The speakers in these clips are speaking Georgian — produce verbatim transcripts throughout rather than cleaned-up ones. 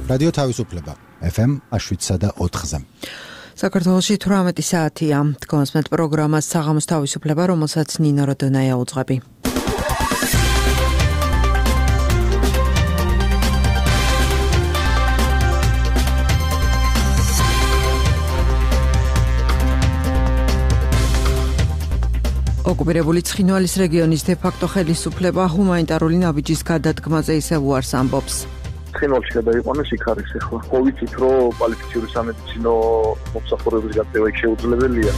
რადიო თავისუფლება ეფ ემ შვიდსა და ოთხზე. საქართველოში თვრამეტი საათია. დგომასმეთ პროგრამას საღამოს თავისუფლება, რომელსაც ნინო როდონაია უძღვები. ოკუპირებული ცხინვალის რეგიონის დე-ფაქტო ხელისუფლება ჰუმანიტარული ნაბიჯის გადადგმაზე ისევ უარს ამბობს. ცხინვალში გადაიყვანეს იქ არის ახლა. ხო ვიცით, რომ კვალიფიციური სამედიცინო მომსახურების გაწევა იქ შეუძლებელია.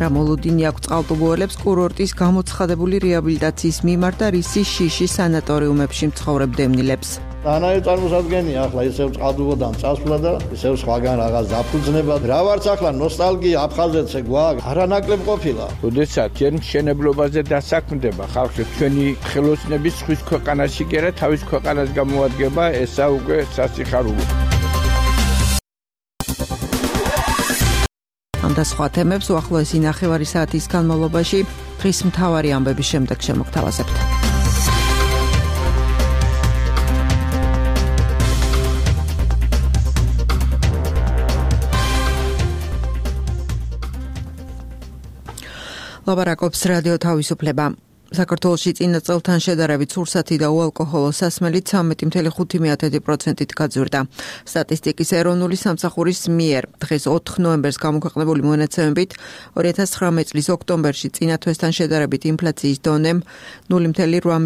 რა მოლოდინი აქვს წყალტუბოელებს კურორტის გამოცხადებული რეაბილიტაციის მიმართ და რისი შიში სანატორიუმებში მცხოვრებ დევნილებს. ანაი წარმოსადგენია ახლა ისევ წყალტუბოდან წასვლა და ისევ სხვაგან რაღაც დაფუძნება. რა ვარც ახლა ნოსტალგია აფხაზეთზე გვაქვს, არანაკლებ ყოფილა. როდესაც ჯერ მშენებლობაზე დასაქმდება ხალხი, ჩვენი ხელოსნების ხვის ქვეყანაში კი არა თავის ქვეყანას გამოადგება, ესა უკვე სასიხარულო. ამ და სხვა თემებს უახლოესი ნახევარი საათის განმავლობაში დღის მთავარი ამბების შემდეგ შემოგთავაზებთ. ლაბარაკობს რადიო თავისუფლება. საქართველოში წინა წელთან შედარებით სურსათი და უალკოჰოლო სასმელი ცამეტი წუთი ხუთი პროცენტით გაძვირდა. სტატისტიკის ეროვნული სამსახურის მიერ დღეს ოთხ ნოემბერს გამოქვეყნებული მონაცემებით ორი ათას ცხრამეტი წლის ოქტომბერში წინა თვესთან შედარებით ინფლაციის დონემ ნული წუთი რვა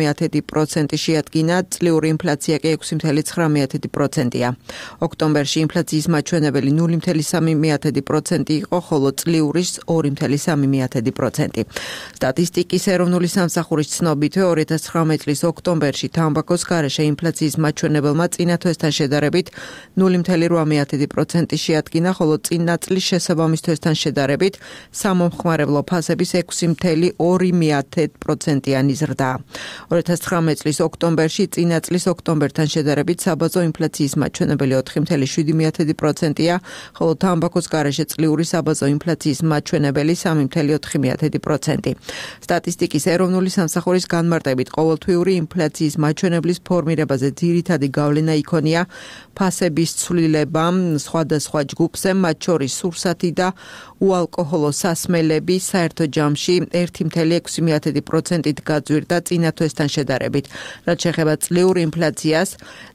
პროცენტი შეადგინა, წლიური ინფლაცია კი ექვსი წუთი ცხრა პროცენტია. ოქტომბერში ინფლაციის მაჩვენებელი ნული წუთი სამი პროცენტი იყო, ხოლო წლიურის ორი წუთი სამი პროცენტი. სტატისტიკის ეროვნული სამსახურის ცნობით ორი ათას ცხრამეტი წლის ოქტომბერში თამბაქოს გარეშე ინფლაციის მაჩვენებელმა წინა თვესთან შედარებით ნული წუთი რვა პროცენტი შეადგინა, ხოლო წინა წლის შესაბამის თვესთან შედარებით სამომხმარებლო ფასების ექვსი წუთი ორი პროცენტიანი ზრდა. ორი ათას ცხრამეტი წლის ოქტომბერში წინა წლის ოქტომბერთან შედარებით საბაზო ინფლაციის მაჩვენებელი ოთხი წუთი შვიდი პროცენტია, ხოლო თამბაქოს გარეშე წლიური საბაზო ინფლაციის მაჩვენებელი სამი წუთი ოთხი პროცენტი. სტატისტიკის ეროვნული სამსახურის განმარტებით ყოველთვიური ინფლაციის მაჩვენებლის ფორმირებაზე ძირითადი გავლენა იქონია ფასების ცვლილება სხვადასხვა ჯგუფზე, მათ შორის სურსათი და უალკოჰოლო სასმელები საერთო ჯამში ერთი წუთი ექვსი პროცენტით გაძვირდა წინა თვესთან შედარებით. რაც შეეხება წლიურ ინფლაციას,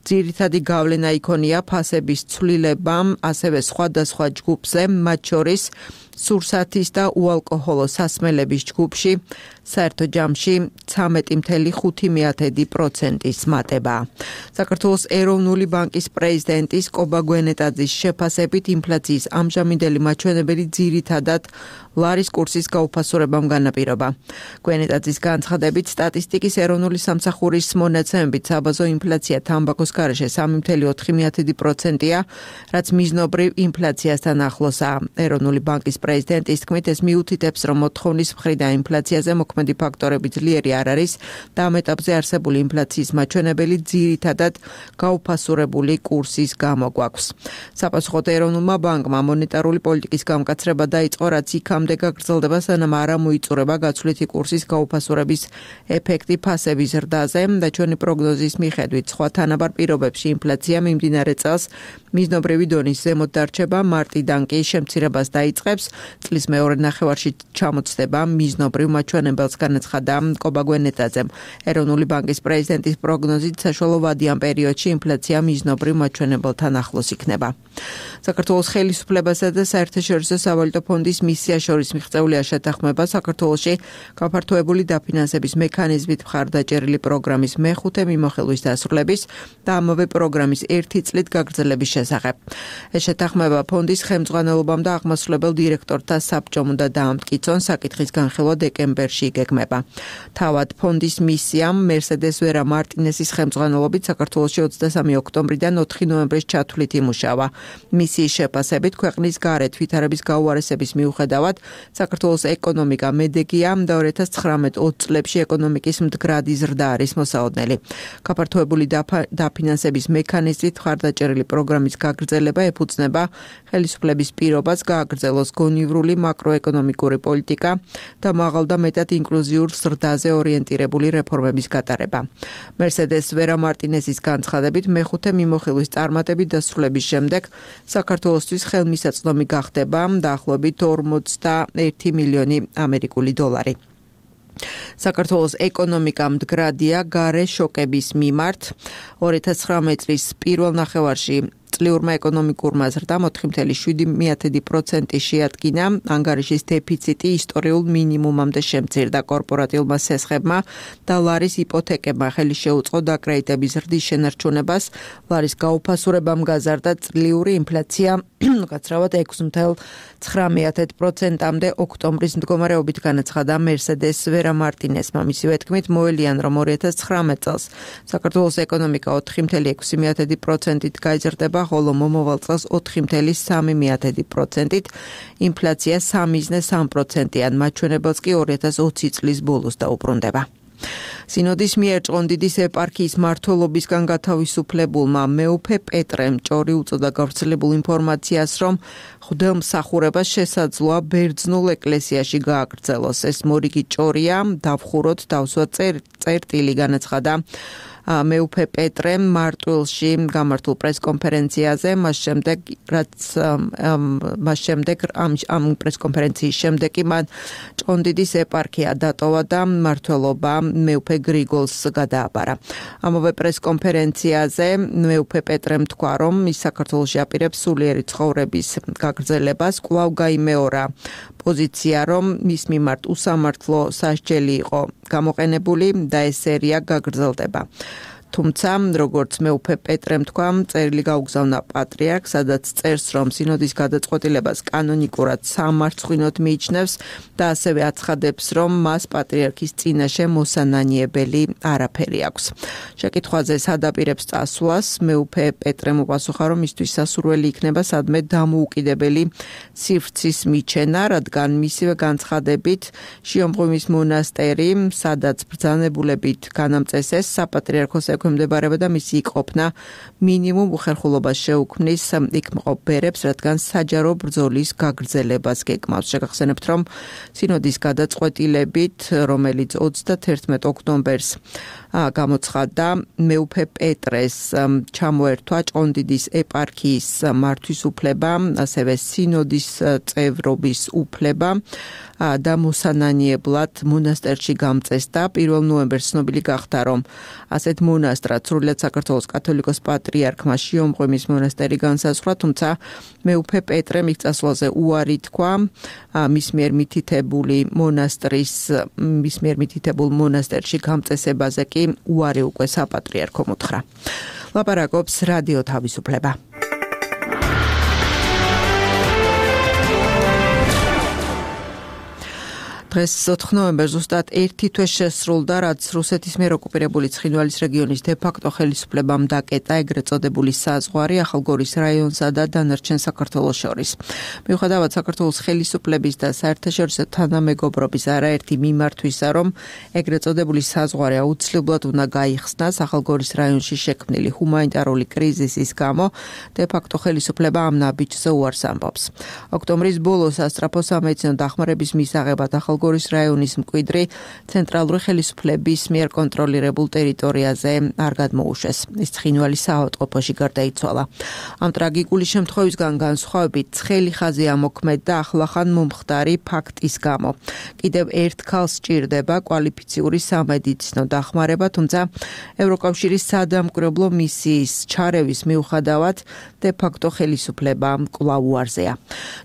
ძირითადი გავლენა იქონია ფასების ცვლილება ასევე სხვადასხვა ჯგუფზე, მათ შორის სურსათის და უალკოჰოლო სასმელების ჯგუფში საერთო ჯამში ცამეტი წუთი ხუთი პროცენტის მატება. საქართველოს ეროვნული ბანკის პრეზიდენტის კობა გვენეტაძის შეფასებით ინფლაციის ამჟამინდელი მაჩვენებელი ძირითადად ლარის კურსის გაუფასურებამ განაპირობა. გვენეტაძის განცხადებით, სტატისტიკის ეროვნული სამსახურის მონაცემებით საბაზო ინფლაცია თამბაქოს გარეშე სამი წუთი ოთხი პროცენტია, რაც მიზნობრივ ინფლაციასთან ახლოსაა. ეროვნული ბანკის პრეზიდენტის თქმით, ეს მიუთითებს, რომ მოთხოვნის მხრიდან ინფლაციაზე მოქმედი ფაქტორები ძლიერი არ არის და ამ ეტაპზე არსებული ინფლაციის მაჩვენებელი ძირითადად გაუფასურებული კურსის გამო გვაქვს. საპასუხოდ ეროვნულმა ბანკმა მონეტარული პოლიტიკის გამკაცრება დაიწყო, რაც იქამდე გაგრძელდება, სანამ არ ამოიწურება გაცვლითი კურსის გაუფასურების ეფექტი ფასების ზრდაზე და ჩვენი პროგნოზის მიხედვით სხვა თანაბარ პირობებში ინფლაცია მიმდინარე წელს მიზნობრივი დონის ზემოთ დარჩება, მარტიდან კი შემცირებას დაიწყებს, წლის მეორე ნახევარში ჩამოწდება მიზნობრივ მაჩვენებელს, განაცხადა კობა გვენეტაძემ. ეროვნული ბანკის პრეზიდენტის პროგნოზით საშუალო ვადიან პერიოდში ინფლაცია მიზნობრივ მაჩვენებელთან ახლოს იქნება. საქართველოს ხელისუფლებასა და საერთაშორისო სავალუტო ფონდის მისია შორის მიღწეულია შეთანხმება საქართველოში გაფართოებული დაფინანსების მექანიზმით მხარდაჭერილი პროგრამის მეხუთე მიმოხილვის დასრულების და ამავე პროგრამის ერთი წლით გაგრძელების შესახებ. ეს შეთანხმება ფონდის ხელმძღვანელობამ და აღმასრულებელ დირექტორთა საბჭომ უნდა დაამტკიცონ, საკითხის განხილვა დეკემბერში იგეგმება. თავად ფონდის მისიამ მერსედეს ვერა მარტინესის ხელმძღვანელობით საქართველოში ოცდასამი ოქტომბრიდან ოთხი ნოემბრის ჩათვლით იმუშავა. მისიის შეფასებით ქვეყნის გარეთ ვითარების გაუარესების მიუხედავად საქართველოს ეკონომიკა მედეგია და ორი ათას ცხრამეტ ოცი წლებში ეკონომიკის მდგრადი ზრდა არის მოსაოდნელი. გაფართოებული დაფინანსების მექანიზმით მხარდაჭერილი პროგრამის გაგრძელება ეფუძნება ხელისუფლების პირობას გააგრძელოს გონივრული მაკროეკონომიკური პოლიტიკა და მაღალ და მეტად ინკლუზიურ ზრდაზე ორიენტირებული რეფორმების გატარება. მერსედეს ვერა მარტინესის განცხადებით მეხუთე მიმოხილვის წარმატებით დასრულების შემდეგ საქართველოსთვის ხელმისაწვდომი გახდება დაახლოებით ორმოცდაერთი მილიონი ამერიკული დოლარი. საქართველოს ეკონომიკა მდგრადია გარე შოკების მიმართ. ორი ათას ცხრამეტ წლის პირველ ნახევარში წლიურმა ეკონომიკურმა ზრდამ ოთხი კoma შვიდი პროცენტი შეადგინა, ანგარიშის დეფიციტი ისტორიულ მინიმუმამდე შემცირდა კორპორატიულმა სესხებმა და ლარის იპოთეკებმა ხელი შეუწყო დაკრედიტების ზრდის შენარჩუნებას, ლარის გაუფასურებამ გაზარდა წლიური ინფლაცია უკაცრავად ექვსი კoma ცხრამეტ პროცენტამდე ოქტომბრის მდგომარეობით განაცხადა მერსედეს ვერა მარტინესმა. მისივე თქმით მოელიან, რომ ორი ათას ცხრამეტ წელს საქართველოს ეკონომიკა ოთხი კoma ექვსი პროცენტით გაიზრდება, ხოლო მომავალ წელს ოთხი კoma სამი პროცენტით, ინფლაცია სამი იზნე სამი პროცენტიან, მაჩვენებელს კი ორი ათას ოცი წლის ბოლოს დაუბრუნდება. სინოდის მიერ ჭყონდიდის ეპარქიის მმართველობისგან გათავისუფლებულმა მეუფე პეტრემ ჭორი უწოდა გავრცელებულ ინფორმაციას, რომ ღვთისმსახურებას შესაძლოა ბერძნულ ეკლესიაში გააგრძელოს. ეს მორიგი ჭორია, დავხუროთ, დავსვათ წერტილი, განაცხადა მეუფე პეტრემ მარტვილში გამართულ პრესკონფერენციაზე, მას შემდეგ რაც მას შემდეგ ამ ამ პრესკონფერენციის შემდეგ კი მან ჭყონდიდის ეპარქია დატოვა და მმართველობა მეუფე გრიგოლს გადააბარა. ამავე პრესკონფერენციაზე მეუფე პეტრემ თქვა, რომ ის საქართველოში აპირებს სულიერი ცხოვრების გაგრძელებას, კვლავ გაიმეორა პოზიცია, რომ მის მიმართ უსამართლო სასჯელი იყო გამოყენებული და ეს სერია გაგრძელდება. თუმცა, როგორც მეუფე პეტრემ თქვა, წერილი გაუგზავნა პატრიარქს, სადაც წერს, რომ სინოდის გადაწყვეტილებას კანონიკურად სამარცხვინოდ მიიჩნევს და ასევე აცხადებს, რომ მას პატრიარქის წინაშე მოსანანიებელი არაფერი აქვს. შეკითხვაზე სადაპირებს წასვლას მეუფე პეტრემ უპასუხა, რომ მისთვის სასურველი იქნება სადმე დამოუკიდებელი სივრცის მიჩენა, რადგან მისივე განცხადებით შიომღვიმის მონასტერი, სადაც ბრძანებულებით განამწესეს საპატრიარქოს ექვემდებარება და მისი იყოფნა მინიმუმ უხერხულობას შეუქმნის იქ მყოფ ბერებს, რადგან საჯარო ბრძოლის გაგრძელებას გეკმავს. შეგახსენებთ, რომ სინოდის გადაწყვეტილებით, რომელიც ოცდათერთმეტ ოქტომბერს გამოცხადდა, მეუფე პეტრეს ჩამოერთვა ჭყონდიდის ეპარქიის მართვის უფლება, ასევე სინოდის წევრობის უფლება და მოსანანიებლად მონასტერში გამწესდა. პირველ ნოემბერს ცნობილი გახდა, რომ ასეთ მონასტრად სრულიად საქართველოს კათოლიკოს პატრიარქმა შიომღვიმის მონასტერი განსაზღვრა, თუმცა მეუფე პეტრემ იქ წასვლაზე უარი თქვა, მის მიერ მითითებული მონასტრის მის მიერ მითითებულ მონასტერში გამწესებაზე კი უარი უკვე საპატრიარქომ უთხრა. ლაპარაკობს რადიო თავისუფლება. დღეს ოთხი ნოემბერს ზუსტად ერთი თვე შესრულდა, რაც რუსეთის მიერ ოკუპირებული ცხინვალის რეგიონის დე-ფაქტო ხელისუფლებამ დაკეტა ეგრეთ წოდებული საზღვარი ახალგორის რაიონსა და დანარჩენ საქართველოს შორის. მიუხედავად საქართველოს ხელისუფლების და საერთაშორისო თანამეგობრობის არაერთი მიმართვისა, რომ ეგრეთ წოდებული საზღვარი აუცილებლად უნდა გაიხსნას ახალგორის რაიონში შექმნილი ჰუმანიტარული კრიზისის გამო, დე-ფაქტო ხელისუფლება ამ ნაბიჯზე უარს ამბობს. ოქტომბრის ბოლოს სასწრაფო სამედიცინო დახმარების მისაღებად ახალგორის რაიონის მკვიდრი ცენტრალური ხელისუფლების მიერ კონტროლირებულ ტერიტორიაზე არ გადმოუშვეს. ის ცხინვალის საავადმყოფოში გარდაიცვალა. ამ ტრაგიკული შემთხვევისგან განსხვავებით ცხელი ხაზი ამოქმედდა ახლახან მომხდარი ფაქტის გამო. კიდევ ერთხელ სჭირდება კვალიფიციური სამედიცინო დახმარება, თუმცა ევროკავშირის სადამკვირვებლო მისიის ჩარევის მიუხედავად დე-ფაქტო ხელისუფლება კვლავ უარზეა.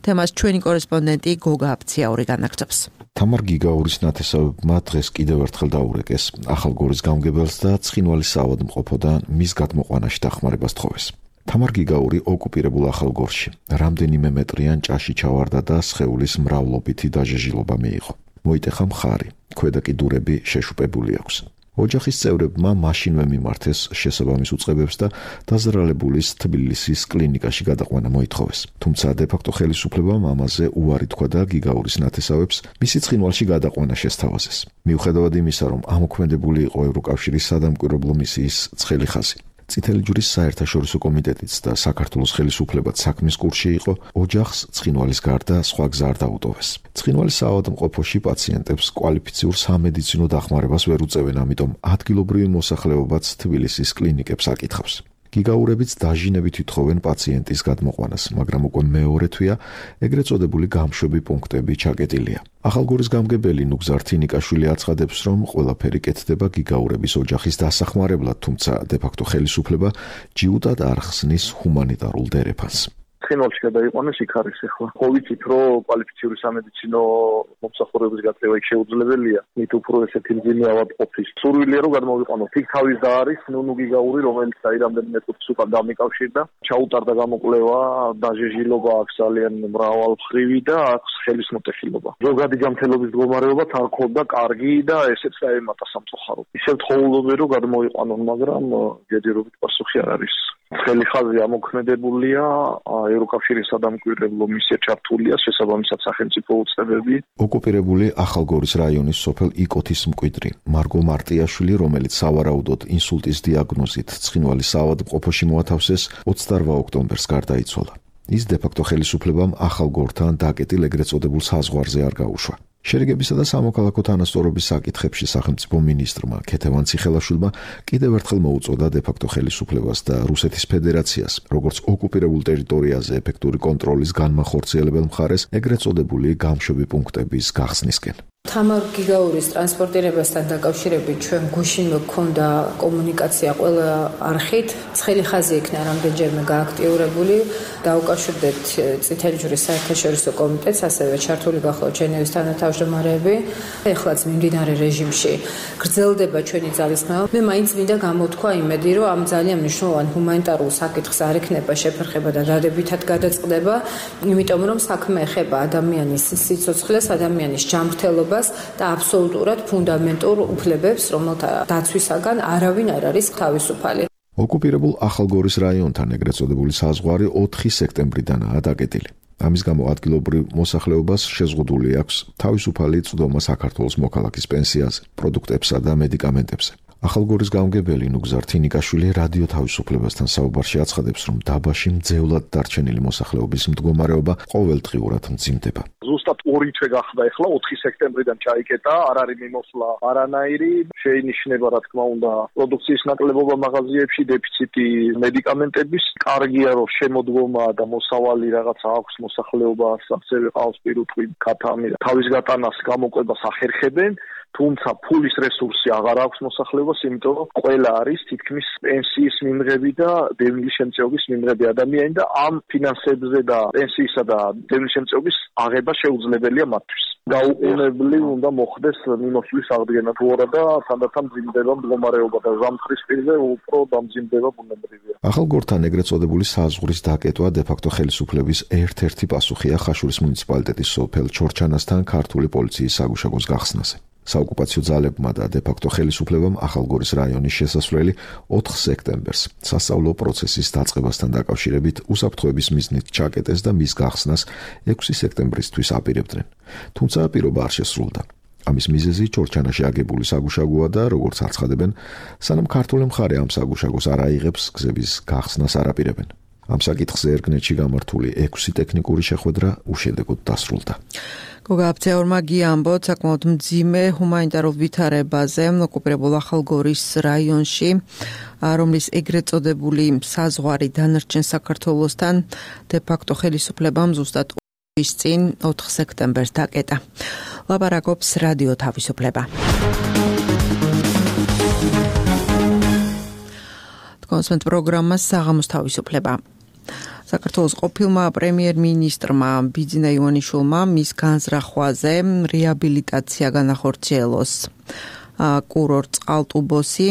თემას ჩვენი კორესპონდენტი გოგა აფციაური განაგრძობს. თამარ გიგაურის ნათესავებმა დღეს კიდევ ერთხელ დაურეკეს ახალგორის გამგებელს და ცხინვალის საავადმყოფოდან მის გადმოყვანაში დახმარებას თხოვეს. თამარ გიგაური ოკუპირებულ ახალგორში რამდენიმე მეტრიან ჭაში ჩავარდა და სხეულის მრავლობითი დაჟეჟილობა მიიღო. მოიტეხა მხარი, ქვედა კიდურები შეშუპებული აქვს. ოჯახის წევრებმა მაშინვე მიმართეს შესაბამის უწყებებს და დაზრალებულის თბილისის კლინიკაში გადაყვანა მოითხოვეს. თუმცა დე-ფაქტო ხელისუფლებამ ამაზე უარი თქვა და გიგაურის ნათესავებს მისი ცხინვალში გადაყვანა შესთავაზეს. მიუხედავად იმისა, რომ ამოქმედებული იყო ევროკავშირის სადამკვირვებლო მისიის ცხელი ხაზი. წითელი ჯვრის საერთაშორისო კომიტეტიც და საქართველოს ხელისუფლებაც საქმის კურსში იყო, ოჯახს ცხინვალის გარდა სხვა გზა არ დაუტოვეს. ცხინვალის საავადმყოფოში პაციენტებს კვალიფიციურ სამედიცინო დახმარებას ვერ უწევენ, ამიტომ ადგილობრივი მოსახლეობაც თბილისის კლინიკებს აკითხავს. გიგაურებიც დაჟინებით ითხოვენ პაციენტის გადმოყვანას, მაგრამ უკვე მეორე თვეა ეგრეთ წოდებული გამშვები პუნქტები ჩაკეტილია. ახალგორის გამგებელი ნუგზარ თინიკაშვილი აცხადებს, რომ ყველაფერი კეთდება გიგაურების ოჯახის დასახმარებლად, თუმცა დე-ფაქტო ხელისუფლება ჯიუტად არ ხსნის ჰუმანიტარულ დერეფანს. ცხინვალში გადაიყვანეს იქ არის ახლა. ხო ვიცით, რომ კვალიფიციური სამედიცინო მომსახურების გაწევა იქ შეუძლებელია. მით უფრო ესეთი მძიმე ავადმყოფის სურვილია რომ გადმოვიყვანოთ. იქ თავის და არის ნუნუ გიგაური, რომელიც აი რამდენიმე წუთის უკან დამიკავშირდა. ჩაუტარდა გამოკვლევა, დაჟეჟილობა აქვს ძალიან მრავალმხრივი და აქვს ხელისმოტეხილობა. ზოგადი ჯანმრთელობის მდგომარეობა თან ხონდა კარგი და ესეც დაემატა სამწუხაროდ. ისევ თხოვლობენ რომ გადმოვიყვანონ, მაგრამ ჯერჯერობით პასუხი არ არის. ცხელი ხაზი ამოქმედებულია, ევროკავშირის სადამკვირვებლო მისია ჩართულია, შესაბამისად სახელმწიფო უწყებები. ოკუპირებული ახალგორის რაიონის სოფელ იკოთის მკვიდრი მარგო მარტიაშვილი, რომელიც სავარაუდოდ ინსულტის დიაგნოზით ცხინვალის საავადმყოფოში მოათავსეს, ოცდაორ ოქტომბერს გარდაიცვალა. ის დე-ფაქტო ხელისუფლებამ ახალგორთან დაკეტილ ეგრეთ წოდებულ საზღვარზე არ გაუშვა. შერიგებისა და სამოქალაქო თანასწორობის საკითხებში სახელმწიფო მინისტრმა ქეთევან ციხელაშვილმა კიდევ ერთხელ მოუწოდა დე-ფაქტო ხელისუფლებას და რუსეთის ფედერაციას, როგორც ოკუპირებულ ტერიტორიაზე ეფექტური კონტროლის განმახორციელებელ მხარეს, ეგრეთ წოდებული გამშვები პუნქტების გახსნისკენ. თამარ გიგაურის ტრანსპორტირებასთან დაკავშირებით ჩვენ გუშინვე გქონდა კომუნიკაცია ყველა არხით. ცხელი ხაზი იქნა რამდენჯერმე გააქტიურებული. დაუკავშირდეთ წითელი ჯვრის საერთაშორისო კომიტეტს, ასევე ჩართული გახლავთ ჟენევის თანათავმჯდომარეები. ეხლაც მიმდინარე რეჟიმში გრძელდება ჩვენი ძალისხმევა. მე მაინც მინდა გამოთქვა იმედი, რომ ამ ძალიან მნიშვნელოვან ჰუმანიტარულ საკითხს არ ექნება შეფერხება და დადებითად გადაწყდება, იმიტომ რომ საქმე ეხება ადამიანის სიცოცხლეს, ადამიანის ჯანმრთელობას და აბსოლუტურად ფუნდამენტურ უფლებებს, რომელთა დაცვისაგან არავინ არ არის თავისუფალი. ოკუპირებულ ახალგორის რაიონთან ეგრეთ წოდებული საზღვარი ოთხი სექტემბრიდანაა დაკეტილი. ამის გამო ადგილობრივ მოსახლეობას შეზღუდული აქვს თავისუფალი წვდომა საქართველოს მოქალაქის პენსიაზე, პროდუქტებსა და მედიკამენტებზე. ახალგორის გამგებელი ნუგზარ თინიკაშვილი რადიო თავისუფლებასთან საუბარში აცხადებს, რომ დაბაში მძევლად დარჩენილი მოსახლეობის მდგომარეობა ყოველდღიურად მძიმდება. ზუსტად ორი თვე გახდა ახლა ოთხი სექტემბრიდან ჩაიკეტა, არ არის მიმოსვლა არანაირი, შეინიშნება რა თქმა უნდა პროდუქციის ნაკლებობა მაღაზიებში, დეფიციტი მედიკამენტების, კარგია რომ შემოდგომა და მოსავალი რაღაცა აქვს მოსახლეობას, ასევე ყავს პირუტყვი, ქათამი, თავის გატანას გამოყვებას ახერხებენ. თუმცა ფულის რესურსი აღარ აქვს მოსახლეობას, იმიტომ რომ ყველა არის თითქმის პენსიის მიმღები და დევნილი შემწეობის მიმღები ადამიანი და ამ ფინანსებზე და პენსიისა და დევნილი შემწეობის აღება შეუძლებელია მათთვის. გაუყენებლი უნდა მოხდეს მიმოსვლის აღდგენა თუ არა და თანდათან მძიმდება მდგომარეობა და ზამთრის პირზე უფრო დამძიმდება ბუნებრივია. ახალგორთან ეგრეთ წოდებული საზღვრის დაკეტვა დე-ფაქტო ხელისუფლების ერთ-ერთი პასუხია ხაშურის მუნიციპალიტეტის სოფელ ჩორჩანასთან ქართული პოლიციის საგუშაგოს გახსნაზე. საოკუპაციო ძალებმა და დე-ფაქტო ხელისუფლებამ ახალგორის რაიონის შესასვლელი ოთხ სექტემბერს სასწავლო პროცესის დაწყებასთან დაკავშირებით უსაფრთხოების მიზნით ჩაკეტეს და მის გახსნას ექვსი სექტემბრისთვის აპირებდნენ. თუმცა პირობა არ შესრულდა. ამის მიზეზი ჩორჩანაში აგებული საგუშაგოა და როგორც აცხადებენ, სანამ ქართული მხარე ამ საგუშაგოს არ აიღებს, გზების გახსნას არ აპირებენ. ამ საკითხზე ერგნეთში გამართული ექვსი ტექნიკური შეხვედრა უშედეგოდ დასრულდა. გოგა აბცეორმა გიამბოთ საკმაოდ მძიმე ჰუმანიტარულ ვითარებაზე ოკუპირებულ ახალგორის რაიონში, რომლის ეგრეთ წოდებული საზღვარი დანარჩენ საქართველოსთან დე-ფაქტო ხელისუფლებამ ზუსტად ის წინ ოთხ სექტემბერს დაკეტა. ლაპარაკობს რადიო თავისუფლება. კონსვენტ პროგრამა საღამოს თავისუფლება. საქართველოს ყოფილმა პრემიერ-მინისტრმა ბიძინა ივანიშვილმა მის განზრახვაზე რეაბილიტაცია განახორციელოს. კურორტ წყალტუბოსი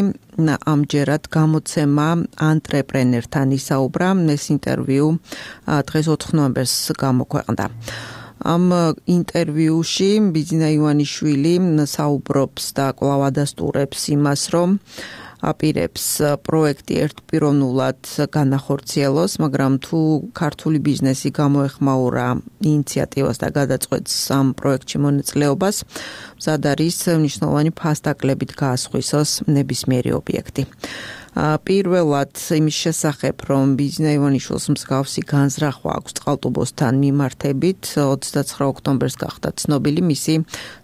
ამჯერად გამოცემა ანტრეპრენერთან ისაუბრა, ეს ინტერვიუ დღეს ოთხ ნოემბერს გამოქვეყნდა. ამ ინტერვიუში ბიძინა ივანიშვილი საუბრობს და კვლავ ადასტურებს იმას, რომ აპირებს პროექტი ერთპიროვნულად განახორციელოს, მაგრამ თუ ქართული ბიზნესი გამოეხმაურა ინიციატივას და გადაწყვეტს ამ პროექტში მონაწილეობას, მზად არის მნიშვნელოვანი ფასდაკლებით გაასხვისოს ნებისმიერი ობიექტი. პირველად იმის შესახებ, რომ ბიძინა ივანიშვილს მსგავსი განზრახვა აქვს წყალტუბოსთან მიმართებით, ოცდაცხრა ოქტომბერს გახდა ცნობილი მისი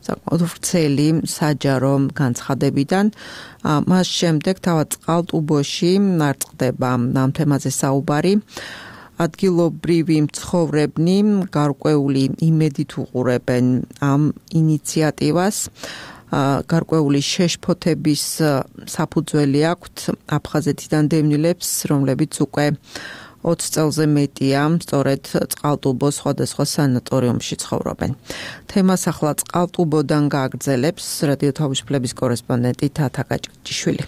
საკმაოდ ვრცელი საჯარო განცხადებიდან. მას შემდეგ თავად წყალტუბოში არ წყდება ამ თემაზე საუბარი. ადგილობრივი მცხოვრებნი გარკვეული იმედით უყურებენ ამ ინიციატივას. გარკვეული შეშფოთების საფუძველი აქვთ აფხაზეთიდან დევნილებს, რომლებიც უკვე ოცი წელზე მეტია სწორედ წყალტუბოს სხვადასხვა სანატორიუმში ცხოვრობენ. თემას ახლა წყალტუბოდან გააგრძელებს რადიო თავისუფლების კორესპონდენტი თათა გაჭიშვილი.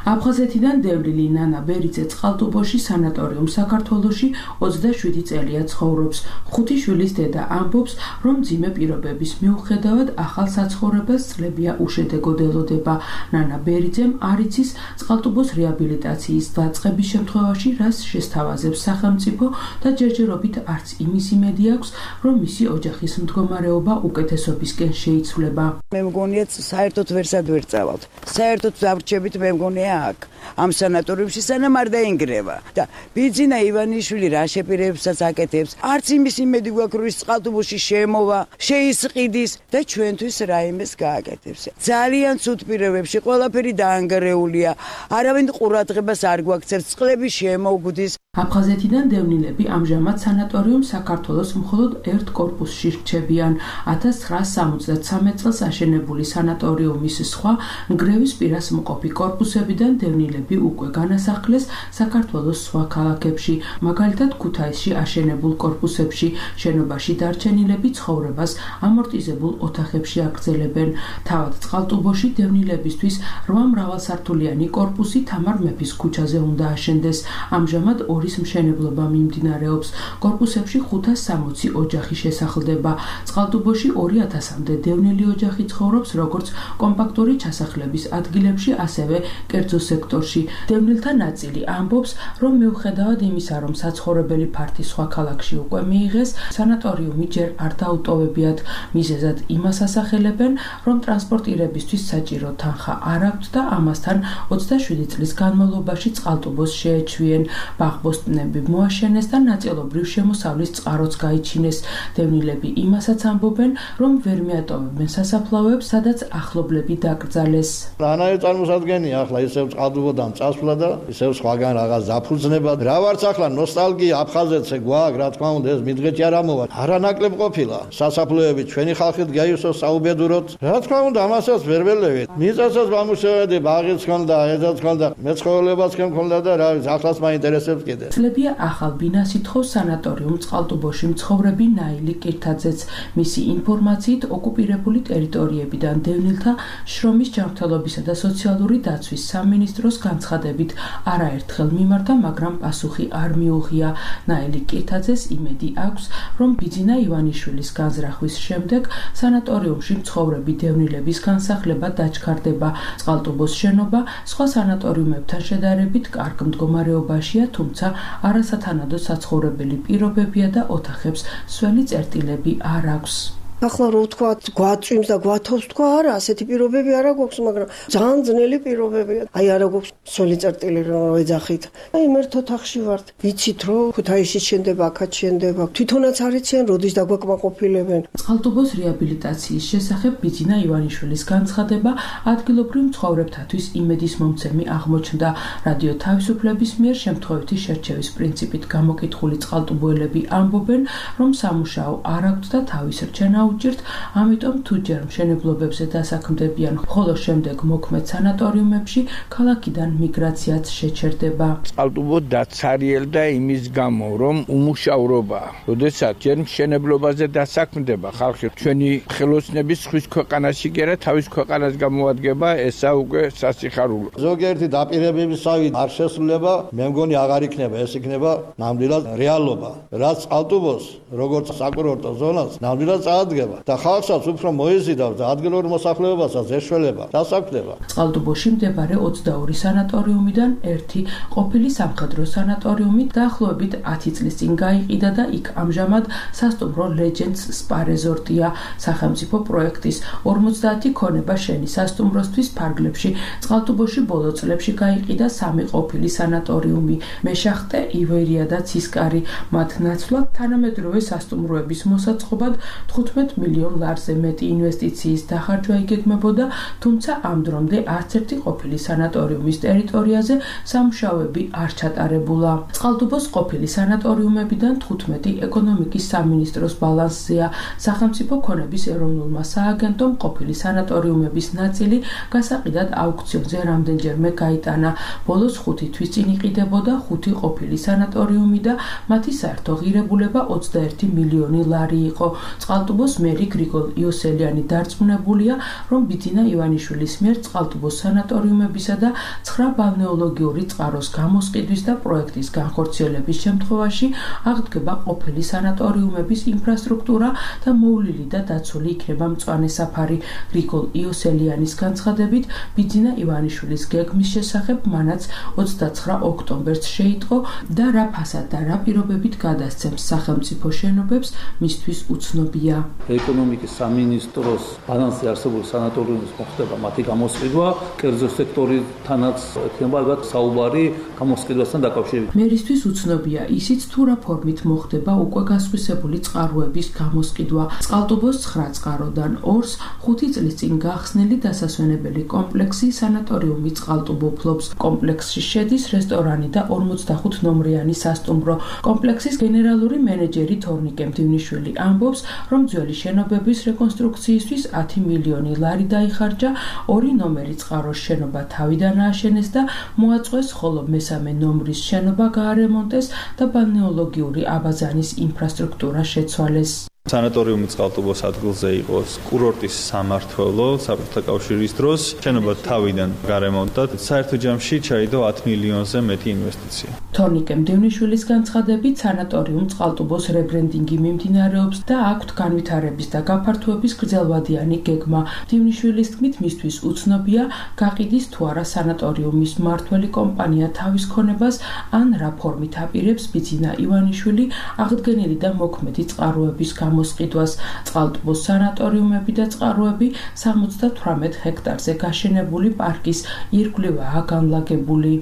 აფხაზეთიდან დევნილი ნანა ბერიძე წყალტუბოში სანატორიუმ საქართველოში ოცდაშვიდი წელია ცხოვრობს. ხუთი შვილის დედა ამბობს, რომ მძიმე პირობების მიუხედავად ახალ საცხოვრებელს წლებია უშედეგოდ ელოდება. ნანა ბერიძემ არ იცის წყალტუბოს რეაბილიტაციის დაწყების შემთხვევაში რას შესთავაზებს სახელმწიფო და ჯერჯერობით არც იმის იმედი აქვს, რომ მისი ოჯახის მდგომარეობა უკეთესობისკენ შეიცვლება. მე მგონია საერთოდ ვერსად ვერ წავალთ. საერთოდ დავრჩებით მე მგონია აქ ამ სანატორიუმში სანამ არ დაინგრევა და ბიძინა ივანიშვილი რა შეპირებსაც აკეთებს, არც იმის იმედი გვაქვს, რომ ის წყალტუბოში შემოვა, შეისყიდის და ჩვენთვის რაიმეს გააკეთებს. ძალიან ცუდ პირობებში ყველაფერი დაანგრეულია, არავინ ყურადღებას არ გვაქცევს, წყლები შემოგვდის. აფხაზეთიდან დევნილები ამჟამად სანატორიუმ საქართველოს მხოლოდ ერთ კორპუსში რჩებიან. ათას ცხრაასი სამოცდათსამეტ წელს აშენებული სანატორიუმის სხვა ნგრევის პირას მყოფი კორპუსებიდან დევნილები უკვე განასახლეს საქართველოს სხვა ქალაქებში, მაგალითად ქუთაისში აშენებულ კორპუსებში. შენობაში დარჩენილები ცხოვრებას ამორტიზებულ ოთახებში აგრძელებენ. თავად წყალტუბოში დევნილებისთვის რვა მრავალსართულიანი კორპუსი თამარ მეფის ქუჩაზე უნდა აშენდეს. ამჟამად ორი მშენებლობა მიმდინარეობს. კორპუსებში ხუთას სამოცი ოჯახი შესახლდება. წყალტუბოში ორი ათასამდე დევნილი ოჯახი ცხოვრობს როგორც კომპაქტური ჩასახლების ადგილებში, ასევე კერძო სექტორში. დევნილთა ნაწილი ამბობს, რომ მიუხედავად იმისა, რომ საცხოვრებელი ფართი სხვა ქალაქში უკვე მიიღეს, სანატორიუმი ჯერ არ დაუტოვებიათ. მიზეზად იმას ასახელებენ, რომ ტრანსპორტირებისთვის საჭირო თანხა არ აქვთ და ამასთან ოცდაშვიდი წლის განმავლობაში წყალტუბოს შეეჩვიენ. ბაღბოსტნები მოაშენეს და ნაწილობრივ შემოსავლის წყაროც გაიჩინეს. დევნილები იმასაც ამბობენ, რომ ვერ მიატოვებენ სასაფლაოებს, სადაც ახლობლები დაკრძალეს. რანაირ წარმოსადგენია ახლა ისევ წყალტუბოდან წასვლა და ისევ სხვაგან რაღაც დაფუძნება. რა ვარც ახლა ნოსტალგია აფხაზეთზე გვაქვს, რა თქმა უნდა, ეს მიდღეთი არ ამოვა. არანაკლებ ყოფილა სასაფლაოები ჩვენი ხალხით გაიუსოს საუბედუროთ. რა თქმა უნდა, ამასაც ვერ ველევით. მიწასაც ვამუშავებდი, ბაღიც ჰქონდა, ეზოც ჰქონდა, მეცხოველებაც ჰქონდა და რა ვიცი, ახლაც მაინტერესებს კიდე. წლებია ახალ ბინას ითხოვს სანატორიუმ წყალტუბოში მცხოვრები ნაილი კირთაძეც. მისი ინფორმაციით ოკუპირებული ტერიტორიებიდან დევნილთა შრომის ჯანმრთელობისა და სოციალური დაცვის სამინისტროს განცხადებით არაერთხელ მიმართა, მაგრამ პასუხი არ მიუღია. ნაილი კირთაძეს იმედი აქვს, რომ ბიძინა ივანიშვილის განზრახვის შემდეგ სანატორიუმში მცხოვრები დევნილების განსახლება დაჩქარდება. წყალტუბოს შენობა სხვა სანატორიუმებთან შედარებით კარგ მდგომარეობაშია, თუმცა არასათანადო საცხოვრებელი პირობებია და ოთახებს სველი წერტილები არ აქვს. ახლა რო ვთქვა, გვაწვიმს და გვათოვს თქვა, არა, ასეთი პირობები არა გვაქვს, მაგრამ ძალიან ძნელი პირობებია. აი არა გვაქვს სველი წერტილი რომ ეძახით. აი ერთ ოთახში ვართ. ვიცით რომ ქუთაისში შენდება, აქაც შენდება. თვითონაც არ იციან, როდის დაგვაკმაყოფილებენ. წყალტუბოს რეაბილიტაციის შესახებ ბიძინა ივანიშვილის განცხადება ადგილობრივ მცხოვრებთათვის იმედის მომცემი აღმოჩნდა. რადიო თავისუფლების მიერ შემთხვევითი შერჩევის პრინციპით გამოკითხული წყალტუბოელები ამბობენ, რომ სამუშაო არ აქვთ და თავის რჩენა აუჭირთ, ამიტომ თუ ჯერ მშენებლობებზე დასაქმდებიან, ხოლო შემდეგ მოქმედ სანატორიუმებში ქალაქიდან მიგრაციაც შეჩერდება. წყალტუბო დაცარიელდა იმის გამო, რომ უმუშავრობაა. როდესაც ჯერ მშენებლობაზე დასაქმდება ხალხი, ჩვენი ხელოსნების ხვის ქვეყანაში კი არა, თავის ქვეყანას გამოადგება, ესა უკვე სასიხარულო. ზოგიერთი დაპირებებისავით არ შესრულება, მე მგონი აღარ იქნება, ეს იქნება ნამდვილად რეალობა. რაც წყალტუბოს, როგორც საკურორტო ზონას, ნამდვილად წაადგება და ხალხსაც უფრო მოეზიდავს და ადგილობრივ მოსახლეობასაც ეშველება, დასაქმდება. წყალტუბოში მდებარე ოცდაორი სანატორიუმიდან ერთი ყოფილი სამხედრო სანატორიუმი დაახლოებით ათი წლის წინ გაიყიდა და იქ ამჟამად სასტუმრო Legends Spa Resort-ია სახელმწიფო პროექტის ორმოცდაათი ქონება შენი სასტუმროსთვის ფარგლებში. წყალტუბოში ბოლო წლებში გაიყიდა სამი ყოფილი სანატორიუმი, მეშახტე, ივერია და ცისკარი. მათ ნაცვლად თანამედროვე სასტუმროების მოსაწყობად თხუთმეტ მილიონ ლარზე მეტი ინვესტიციის დახარჯვა იგეგმებოდა, თუმცა ამ დრომდე არც ერთი ყოფილი სანატორიუმის ტერიტორიაზე სამუშაოები არ ჩატარებულა. წყალტუბოს ყოფილი სანატორიუმებიდან თხუთმეტი ეკონომიკის სამინისტროს ბალანსზეა. სახელმწიფო ქონების ეროვნულმა სააგენტომ ყოფილი სანატორიუმების ნაწილი გასაყიდად აუქციონზე რამდენჯერმე გაიტანა. ბოლოს ხუთი თვის წინ იყიდებოდა ხუთი ყოფილი სანატორიუმი და მათი საერთო ღირებულება ოცდაერთი მილიონი ლარი იყო. წყალტუბოს მერი გრიგოლ იოსელიანი დარწმუნებულია, რომ ბიძინა ივანიშვილის მიერ წყალტუბოს სანატორიუმებისა და ცხრა ბალნეოლოგიური წყაროს გამოსყიდვის და პროექტის განხორციელების შემთხვევაში აღდგება ყოფილი სანატორიუმების ინფრასტრუქტურა და მოვლილი და დაცული იქნება მწვანე საფარი. გრიგოლ იოსელიანის განცხადებით, ბიძინა ივანიშვილის გეგმის შესახებ მანაც ოცდაცხრა ოქტომბერს შეიტყო და რა ფასად და რა პირობებით გადასცემს სახელმწიფო შენობებს, მისთვის უცნობია. ეკონომიკის სამინისტროს ბალანსზე არსებული სანატორიუმის მოხდება მათი გამოსყიდვა, კერძო სექტორითანაც ექნება ალბათ საუბარი გამოსყიდვასთან დაკავშირებით. მერისთვის უცნობია ისიც თუ რა ფორმით მოხდება უკვე გასხვისებული წყაროების გამოსყიდვა. წყალტუბოს ცხრა წყაროდან ორს ხუთი წლის წინ გახსნილი დასასვენებელი კომპლექსი სანატორიუმი წყალტუბო ფლობს. კომპლექსში შედის რესტორანი და ორმოცდახუთ ნომრიანი სასტუმრო. კომპლექსის გენერალური მენეჯერი თორნიკე მდივნიშვილი ამბობს, რომ ძველი შენობების რეკონსტრუქციისთვის ათი მილიონი ლარი დაიხარჯა, ორი ნომერი წყაროს შენობა თავიდან ააშენეს და მოაწყვეს, ხოლო მესამე ნომრის შენობა გაარემონტეს და ბალნეოლოგიური აბაზანის ინფრასტრუქტურა შეცვალეს. სანატორიუმი წყალტუბოს ადგილზე იყოს კურორტის სამმართველო საბჭოთა კავშირის დროს, შენობა თავიდან გარემონტდა, საერთო ჯამში ჩაიდო ათი მილიონზე მეტი ინვესტიცია. თორნიკე მდივნიშვილის განცხადებით, სანატორიუმ წყალტუბოს რებრენდინგი მიმდინარეობს და აქვთ განვითარების და გაფართოების გრძელვადიანი გეგმა. მდივნიშვილის თქმით, მისთვის უცნობია, გაყიდის თუ არა სანატორიუმის მმართველი კომპანია თავის ქონებას ან რა ფორმით აპირებს ბიძინა ივანიშვილი აღდგენილი და მოქმედი წყაროების მოსყიდვას. წყალტუბოს სანატორიუმები და წყაროები სამოცდათვრამეტ ჰექტარზე გაშენებული პარკის ირგვლივაა განლაგებული.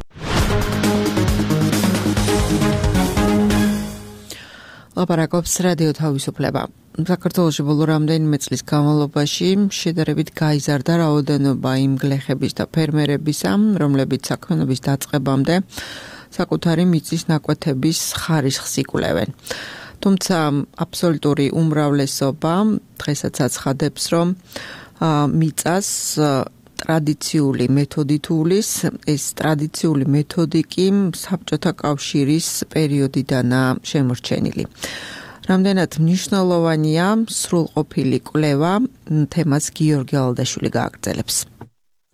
ლაპარაკობს რადიო თავისუფლება. საქართველოში ბოლო რამდენიმე წლის განმავლობაში შედარებით გაიზარდა რაოდენობა იმ გლეხების და ფერმერებისა, რომლებიც საქმიანობის დაწყებამდე საკუთარი მიწის ნაკვეთების ხარისხს იკვლევენ. თუმცა აბსოლუტური უმრავლესობა დღესაც აცხადებს, რომ მიწას ტრადიციული მეთოდით უვლის, ეს ტრადიციული მეთოდი კი საბჭოთა კავშირის პერიოდიდანაა შემორჩენილი. რამდენად მნიშვნელოვანია სრულყოფილი კვლევა, თემას გიორგი ალდაშვილი გააგრძელებს.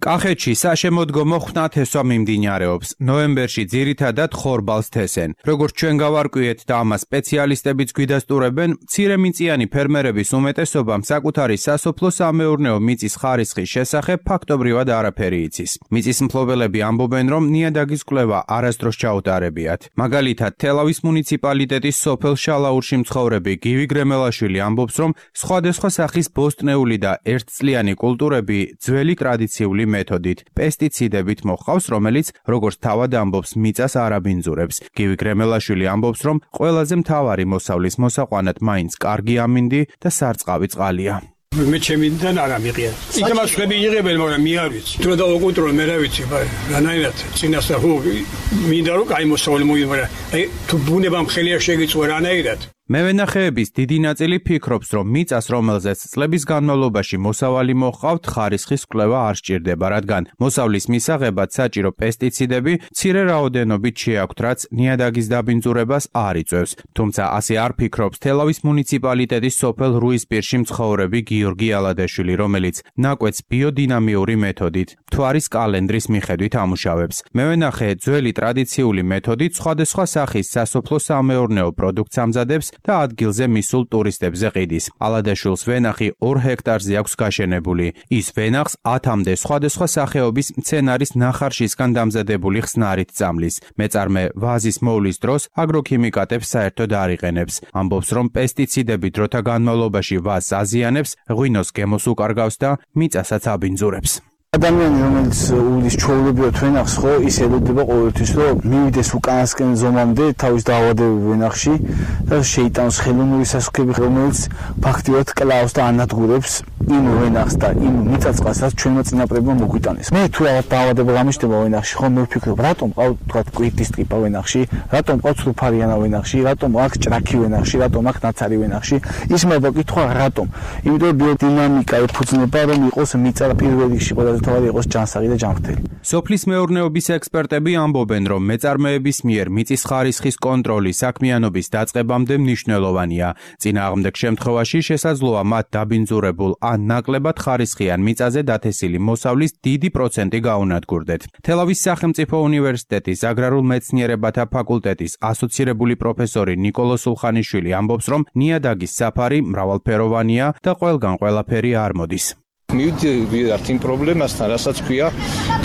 კახეთში საშემოდგომო ხვნათესვა მიმდინარეობს. ნოემბერში ძირითადად ხორბალს თესენ. როგორც ჩვენ გავარკვიეთ და ამას სპეციალისტებიც გვიდასტურებენ, მცირემიწიანი ფერმერების უმეტესობამ საკუთარი სასოფლო-სამეურნეო მიწის ხარისხის შესახებ ფაქტობრივად არაფერი იცის. მიწის მფლობელები ამბობენ, რომ ნიადაგის კვლევა არასდროს ჩაუტარებიათ. მაგალითად, თელავის მუნიციპალიტეტის სოფელ შალაურში მცხოვრები გივი გრემელაშვილი ამბობს, რომ სხვადასხვა სახის ბოსტნეული და ერთწლიანი კულტურები ძველი ტრადიციული მეთოდით, პესტიციდებით მოჰყავს, რომელიც, როგორც თავად ამბობს, მიწას არ აბინძურებს. გივი გრემელაშვილი ამბობს, რომ ყველაზე მთავარი მოსავლის მოსაყვანად მაინც კარგი ამინდი და სარწყავი წყალია. მე ჩემიდან არ ამიღია. იქაც ხები იღებენ, მაგრამ მე არ ვიცი. თუ და უკონტროლ მე რა ვიცი, რანაირად წინასწარ ხო მინდა რომ კაი მოსავალი მოიგო, მაგრამ აი თუ ბუნებამ ხელია შეგიწვა რანაირად. მევენახეების დიდი ნაწილი ფიქრობს, რომ მიწას, რომელზეც წლების განმავლობაში მოსავალი მოჰყავთ, ხარისხის კვლევა არ სჭირდება, რადგან მოსავლის მისაღებად საჭირო პესტიციდები მცირე რაოდენობით შეაქვთ, რაც ნიადაგის დაბინძურებას არ იწვევს. თუმცა ასე არ ფიქრობს თელავის მუნიციპალიტეტის სოფელ რუისპირში მცხოვრები გიორგი ალადეშვილი, რომელიც ნაკვეთს ბიოდინამიური მეთოდით, მთვარის კალენდრის მიხედვით ამუშავებს. მევენახე ძველი ტრადიციული მეთოდით სხვადასხვა სახის სასოფლო-სამეურნეო პროდუქტს ამზადებს და ადგილზე მისულ ტურისტებზე ყიდის. ალადაშვილს ვენახი ორ ჰექტარზე აქვს გაშენებული. ის ვენახს ათამდე სხვადასხვა სახეობის მცენარის ნახარშისგან დამზადებული ხსნარით წამლის. მეწარმე ვაზის მოვლის დროს აგროქიმიკატებს საერთოდ არ იყენებს. ამბობს, რომ პესტიციდები დროთა განმავლობაში ვაზს აზიანებს, ღვინოს გემოს უკარგავს და მიწასაც აბინძურებს. ადამიანი რომელიც უვლის ჩვეულებრივად ვენახს ხო ის ელოდება ყოველთვის რომ მივიდეს უკანასკენ ზომამდე თავის დაავადებულ ვენახში და შეიტანოს ხელოვნური სასუქები რომელიც ფაქტიურად კლავს და ანადგურებს იმ ვენახს და იმ მიწაწყალსაც ჩვენმა წინაპრებმა მოგვიტანეს. მე თუ რაღაც დაავადება გამიშდება ვენახში ხო მე ვფიქრობ რატომ ყავ თქვა კვირტის ტრიპა ვენახში, რატომ ყავ ცრუფარიანა ვენახში, რატომ აქ ჭრაქი ვენახში, რატომ აქ ნაცარი ვენახში. ის მე ვაკითხვა რატომ? იმიტომ ბიოდინამიკა ეფუძნება რომ იყოს მიწა პირველ რიგში ყველა თავად იყოს ჯანსაღი და ჯანმრთელი. სოფლის მეურნეობის ექსპერტები ამბობენ, რომ მეწარმეების მიერ მიწის ხარისხის კონტროლი საქმიანობის დაწყებამდე მნიშვნელოვანია. წინააღმდეგ შემთხვევაში შესაძლოა მათ დაბინძურებულ ან ნაკლებად ხარისხიან მიწაზე დათესილი მოსავლის დიდი პროცენტი გაუნადგურდეთ. თელავის სახელმწიფო უნივერსიტეტის აგრარულ მეცნიერებათა ფაკულტეტის ასოცირებული პროფესორი ნიკოლო სულხანიშვილი ამბობს, რომ ნიადაგის საფარი მრავალფეროვანია და ყველგან ყველაფერი არ მოდის. მივიდივართ იმ პრობლემასთან, რასაც ქვია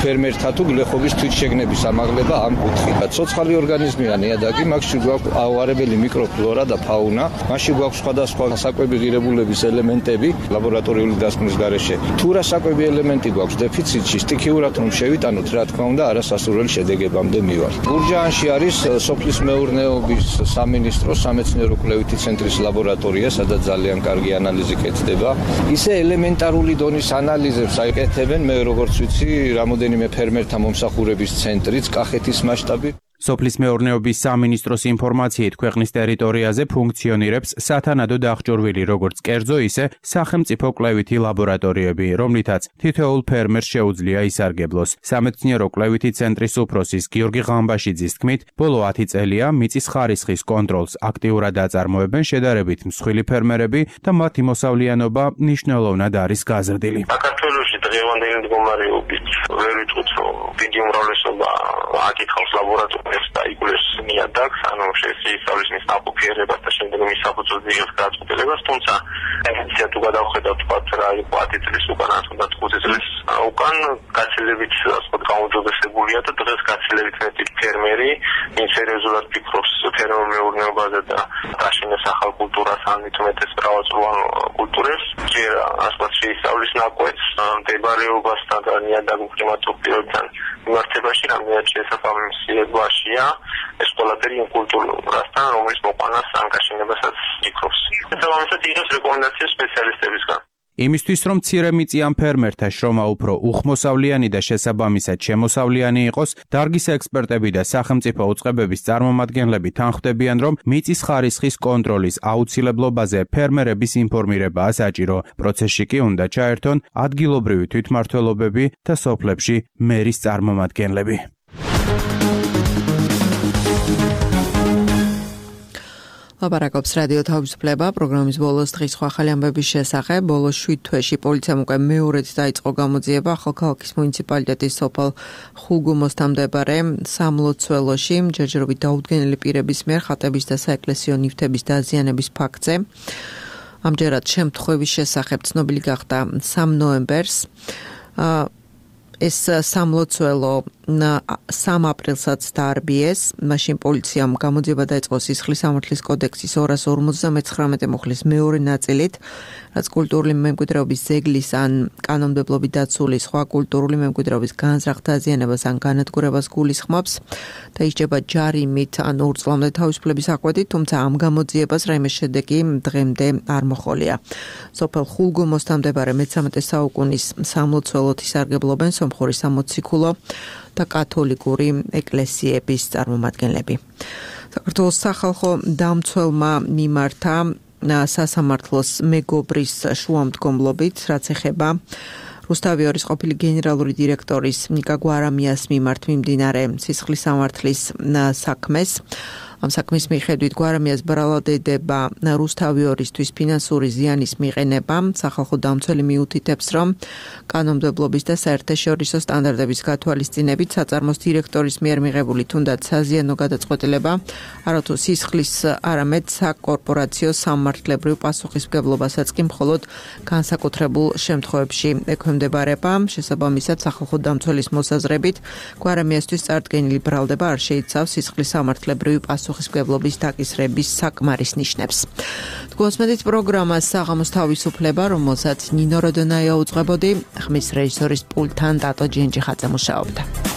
ფერმერთა თუ გლეხობის თვითშეგნების ამაღლება ამ კუთხით. ცოცხალი ორგანიზმია ნიადაგი, მასში გვაქვს ავარებელი მიკროფლორა და ფაუნა, მასში გვაქვს სხვადასხვა საკვები ღირებულების ელემენტები ლაბორატორიული დასკვნის გარეშე. თუ რა საკვები ელემენტი გვაქვს დეფიციტში, სტიქიურად რომ შევიტანოთ, რა თქმა უნდა, არასასურველი შედეგებამდე მივართ. გურჯაანში არის სოფლის მეურნეობის სამინისტროს სამეცნიერო კვლევითი ცენტრის ლაბორატორია, სადაც ძალიან კარგი ანალიზი კეთდება. ისე ელემენტარული დონის ანალიზებს აიკეთებენ, მე როგორც ვიცი, რამოდენიმე ფერმერთა მომსახურების ცენტრიც, კახეთის მასშტაბი. სოფლის მეურნეობის სამინისტროს ინფორმაციით ქვეყნის ტერიტორიაზე ფუნქციონირებს სათანადო დაახჭურვილი როგორც კერძო, ისე სახელმწიფო კვლევითი ლაბორატორიები, რომლითაც თითოეულ ფერმერს შეუძლია ისარგებლოს. სამეცნიერო კვლევითი ცენტრის უფროსის გიორგი ღამბაშიძის თქმით, ბოლო ათი წელია მიწის ხარისხის კონტროლს აქტიურად აწარმოებენ შედარებით მსხვილი ფერმერები და მათი მოსავლიანობა მნიშვნელოვნად არის გაზრდილი. საქართველოში დღევანდელი მდგომარეობით ვერ ვიტყვით, რომ დიდი უმრავლესობა აკითხავს ლაბორატორიას და იგულებს ნიადაგს, ანუ შეისწავლის მის ნაყოფიერებას და შემდეგ მის საფუძველზე იღებს გადაწყვეტილებას, თუმცა ტენდენცია თუ გადავხედავთ, თქვათ რა იყო ათი წლის უკან, თუნდაც ხუთი წლის უკან გაცილებით ასე გაუმჯობესებულია და დღეს გაცილებით მეტი ფერმერი ვინც სერიოზულად ფიქრობს ფერმერმეურნეობაზე და დაშინეს ახალ კულტურას ან მithumetes მრავალწლოვან კულტურებს, ჯერ ასე შეისწავლის ნაკვეთს მდებარეობასთან და ნიადაგურ კლიმატურ პირობებთან მიმართებაში რამდენად შესაძლებლობაშია ეს ყველაფერი იმ კულტურასთან, რომლის მოყვანას ან გაშენებასაც იკრობს. შესაბამისად იღებს რეკომენდაციებს სპეციალისტებისგან. იმისთვის, რომ მცირე მიწიან ფერმერთა შრომა უფრო უხმოსავლიანი და შესაბამისად შემოსავლიანი იყოს, დარგის ექსპერტები და სახელმწიფო უწყებების წარმომადგენლები თანხმდებიან, რომ მიწის ხარისხის კონტროლის აუცილებლობაზე ფერმერების ინფორმირებაა საჭირო. პროცესში კი უნდა ჩაერთონ ადგილობრივი თვითმმართველობები და სოფლებში მერის წარმომადგენლები. ლაპარაკობს რადიო თავისუფლება პროგრამის ბოლოს დღის სხვა ახალი ამბების შესახებ. ბოლოს შვიდ თვეში პოლიციამ უკვე მეორედ დაიწყო გამოძიება ახალქალაქის მუნიციპალიტეტის სოფელ ხულგუმოსთან მდებარე სამლოცველოში ჯერჯერობით დაუდგენელი პირების მიერ ხატების და საეკლესიო ნივთების დაზიანების ფაქტზე. ამჯერად შემთხვევის შესახებ ცნობილი გახდა სამ ნოემბერს. ეს სამლოცველო სამ აპრილსაც დაარბიეს. მაშინ პოლიციამ გამოძიება დაიწყო სისხლის სამართლის კოდექსის ორას ორმოცდამეცხრამეტე მუხლის მეორე ნაწილით, რაც კულტურული მემკვიდრეობის ზეგლის ან კანონმდებლობით დაცული სხვა კულტურული მემკვიდრეობის განზრახ დაზიანებას ან განადგურებას გულისხმობს და ისჯება ჯარიმით ან ორ წლამდე თავისუფლების აკვეთით, თუმცა ამ გამოძიებას რაიმე შედეგი დღემდე არ მოჰყოლია. სოფელ ხულგუმოსთან მდებარე მეცამეტე საუკუნის სამლოცველოთი სარგებლობენ სომხური სამოციქულო და კათოლიკური ეკლესიების წარმომადგენლები. საქართველოს სახალხო დამცველმა მიმართა სასამართლოს მეგობრის შუამდგომლობით, რაც ეხება რუსთავიორის ყოფილი გენერალური დირექტორის ნიკა გვარამიას მიმართ მიმდინარე სისხლის სამართლის საქმეს. ამ საქმის მიხედვით გვარამიას ბრალადდება რუსთავიორისთვის ფინანსური ზიანის მიყენება. სახალხო დამცველი მიუთითებს, რომ კანონმდებლობის და საერთაშორისო სტანდარტების გათვალისწინებით საწარმოს დირექტორის მიერ მიღებული თუნდაც საზიანო გადაწყვეტილება არათუ სისხლის, არამედ საკორპორაციო სამართლებრივ პასუხისმგებლობასაც კი მხოლოდ განსაკუთრებულ შემთხვევებში ექვემდებარება. შესაბამისად, სახალხო დამცველის მოსაზრებით, გვარამიასთვის წარდგენილი ბრალდება არ შეიცავს სისხლის სამართლებრივი პასუხისმგებლობის დაკისრების საკმარის ნიშნებს. თქვენს პროგრამას საღამოს თავისუფლება, რომელსაც ნინო როდონაია უძღვებოდი, ხმის რეჟისორის პულტთან დატო ჯენჯიხაძე მუშაობდა.